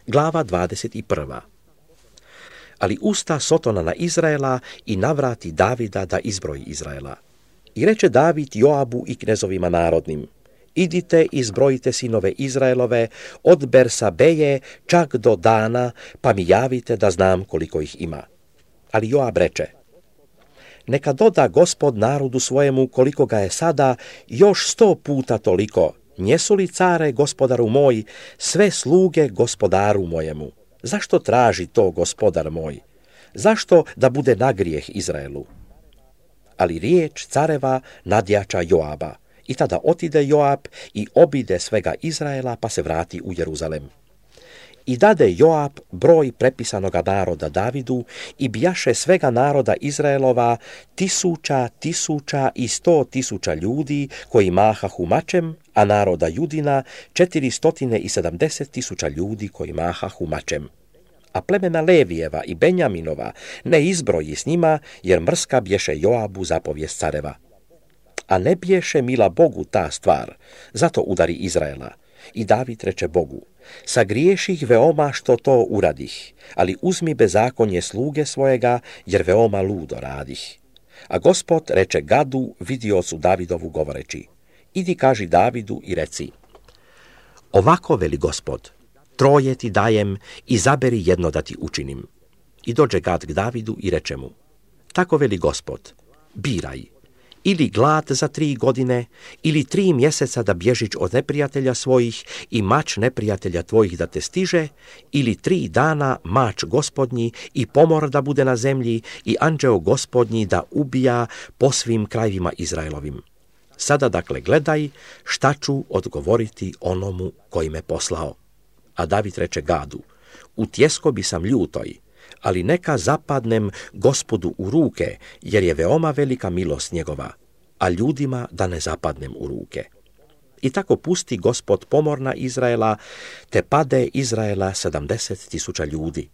Glava 21. Ali usta Sotona na Izraela i navrati Davida da izbroji Izraela. I reče David Joabu i knezovima narodnim: idite i zbrojite sinove Izraelove od Bersabeje čak do Dana, pa mi javite da znam koliko ih ima. Ali Joab reče: neka doda Gospod narodu svojemu koliko ga je sada, još 100 puta toliko. Njesu li, care, gospodaru moj, sve sluge gospodaru mojemu? Zašto traži to gospodar moj? Zašto da bude nagrijeh Izraelu? Ali riječ careva nadjača Joaba. I tada otide Joab i obide svega Izraela, pa se vrati u Jeruzalem. I dade Joab broj prepisanoga naroda Davidu i bijaše svega naroda Izraelova 1000, 1000 i 100.000 ljudi koji mahahu mačem, a naroda Judina 470.000 ljudi koji mahahu mačem. A plemena Levijeva i Benjaminova ne izbroji s njima, jer mrska bješe Joabu zapovijest careva. A ne bješe mila Bogu ta stvar, zato udari Izraela. I David reče Bogu: sagriješih veoma što to uradih, ali uzmi bezakonje sluge svojega, jer veoma ludo radih. A Gospod reče Gadu, vidiocu Davidovu, govoreći: idi kaži Davidu i reci: ovako veli Gospod, 3 ti dajem, izaberi jedno da ti učinim. I dođe Gad k Davidu i reče mu: tako veli Gospod, biraj, ili glad za 3 godine, ili 3 mjeseca da bježiš od neprijatelja svojih i mač neprijatelja tvojih da te stiže, ili 3 dana mač Gospodnji i pomor da bude na zemlji i anđeo Gospodnji da ubija po svim krajevima Izraelovim. Sada dakle gledaj šta ću odgovoriti onomu koji me poslao. A David reče Gadu: u tjeskobi sam ljutoj, ali neka zapadnem Gospodu u ruke, jer je veoma velika milost njegova, a ljudima da ne zapadnem u ruke. I tako pusti Gospod pomor na Izraela, te pade Izraela 70.000 ljudi.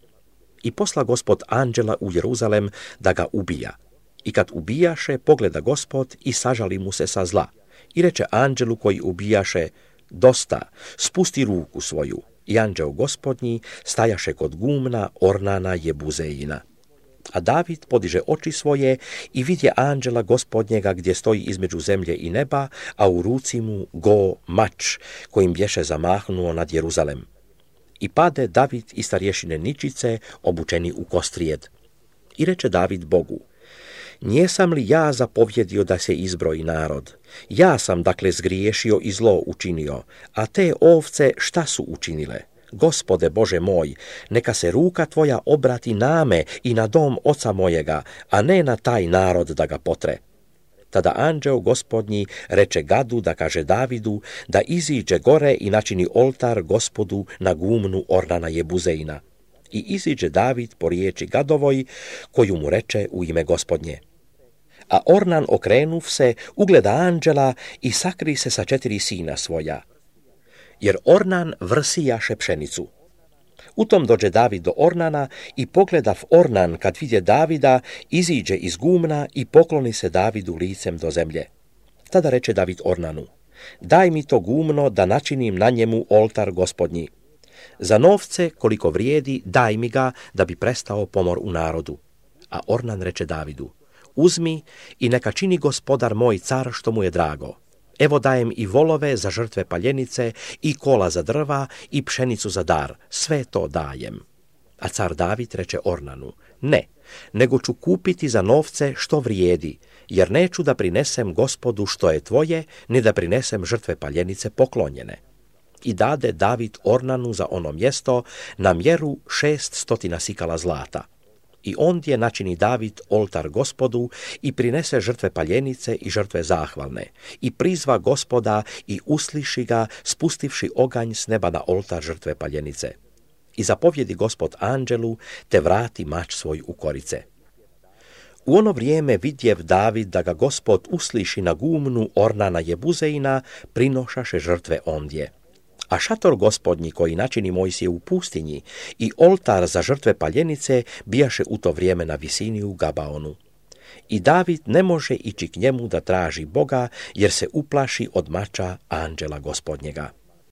I posla Gospod anđela u Jeruzalem da ga ubija. I kad ubijaše, pogleda Gospod i sažali mu se sa zla. I reče anđelu koji ubijaše: dosta, spusti ruku svoju. I anđeo Gospodnji stajaše kod gumna Ornana Jebuzejina. A David podiže oči svoje i vidje anđela Gospodnjega gdje stoji između zemlje i neba, a u ruci mu mač kojim bješe zamahnuo nad Jeruzalem. I pade David i starješine ničice obučeni u kostrijed. I reče David Bogu: njesam li ja zapovjedio da se izbroji narod? Ja sam dakle zgriješio i zlo učinio, a te ovce šta su učinile? Gospode Bože moj, neka se ruka tvoja obrati na me i na dom oca mojega, a ne na taj narod da ga potre. Tada anđeo Gospodnji reče Gadu da kaže Davidu da iziđe gore i načini oltar Gospodu na gumnu Ornana Jebuzejina. I iziđe David po riječi Gadovoj, koju mu reče u ime Gospodnje. A Ornan, okrenuv se, ugleda anđela i sakri se sa 4 sina svoja. Jer Ornan vrsijaše pšenicu. U tom dođe David do Ornana i pogledav Ornan, kad vidje Davida, iziđe iz gumna i pokloni se Davidu licem do zemlje. Tada reče David Ornanu: daj mi to gumno da načinim na njemu oltar Gospodnji. Za novce koliko vrijedi daj mi ga da bi prestao pomor u narodu. A Ornan reče Davidu: uzmi i neka čini gospodar moj car što mu je drago. Evo dajem i volove za žrtve paljenice i kola za drva i pšenicu za dar, sve to dajem. A car David reče Ornanu: ne, nego ću kupiti za novce što vrijedi, jer neću da prinesem Gospodu što je tvoje, ni da prinesem žrtve paljenice poklonjene. I dade David Ornanu za ono mjesto na mjeru 600 sikala zlata. I ondje načini David oltar Gospodu i prinese žrtve paljenice i žrtve zahvalne. I prizva Gospoda i usliši ga, spustivši oganj s neba na oltar žrtve paljenice. I zapovjedi Gospod anđelu, te vrati mač svoj u korice. U ono vrijeme vidjev David da ga Gospod usliši na gumnu Ornana Jebuzejina, prinošaše žrtve ondje. A šator Gospodnji koji načini Mojsije u pustinji i oltar za žrtve paljenice bijaše u to vrijeme na visini u Gabaonu. I David ne može ići k njemu da traži Boga, jer se uplaši od mača anđela Gospodnjega.